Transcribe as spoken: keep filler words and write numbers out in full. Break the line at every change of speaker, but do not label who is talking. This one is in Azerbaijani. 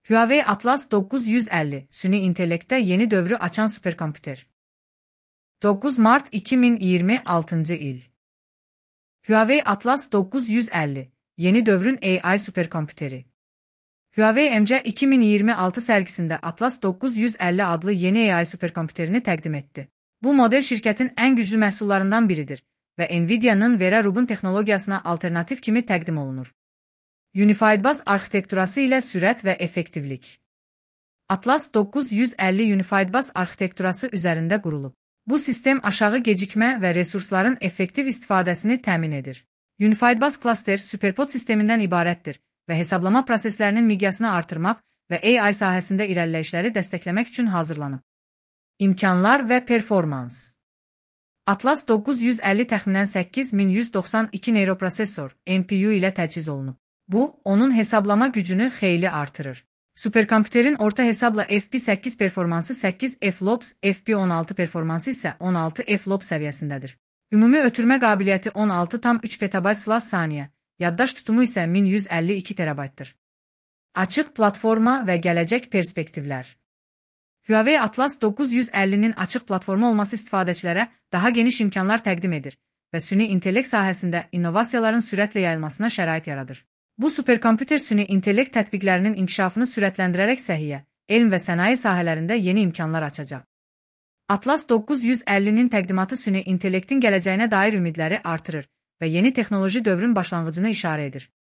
Huawei Atlas dokuz yüz əlli, süni intellektdə yeni dövrü açan superkomputer. dokuz Mart iki min iyirmi altıncı il. Huawei Atlas dokuz yüz əlli, yeni dövrün A I superkompüteri. Huawei M C iki min iyirmi altı sərgisində Atlas dokuz yüz əlli adlı yeni A I superkompüterini təqdim etdi. Bu model şirkətin ən güclü məhsullarından biridir və Nvidia'nın Vera Rubin texnologiyasına alternativ kimi təqdim olunur. Unified Bus arxitekturası ilə sürət və effektivlik. Atlas dokuz yüz əlli Unified Bus arxitekturası üzərində qurulub. Bu sistem aşağı gecikmə və resursların effektiv istifadəsini təmin edir. Unified Bus Cluster superpod sistemindən ibarətdir və hesablama proseslərinin miqyasını artırmaq və A I sahəsində irəliləyişləri dəstəkləmək üçün hazırlanıb. İmkanlar və performans. Atlas dokuz yüz əlli təxminən səkkiz min yüz doxsan iki neyroprosesor N P U ilə təchiz olunub. Bu, onun hesablama gücünü xeyli artırır. Superkomputerin orta hesabla F P səkkiz performansı səkkiz F lops, F P on altı performansı isə on altı F lops səviyyəsindədir. Ümumi ötürmə qabiliyyəti on altı tam üç petabayt slash saniyə, yaddaş tutumu isə min yüz əlli iki terabaytdır. Açıq platforma və gələcək perspektivlər. Huawei Atlas dokuz yüz əllinin açıq platforma olması istifadəçilərə daha geniş imkanlar təqdim edir və süni intellekt sahəsində innovasiyaların sürətlə yayılmasına şərait yaradır. Bu superkomputer süni intellekt tətbiqlərinin inkişafını sürətləndirərək səhiyyə, elm və sənaye sahələrində yeni imkanlar açacaq. Atlas dokuz yüz əllinin təqdimatı süni intellektin gələcəyinə dair ümidləri artırır və yeni texnoloji dövrün başlanğıcını işarə edir.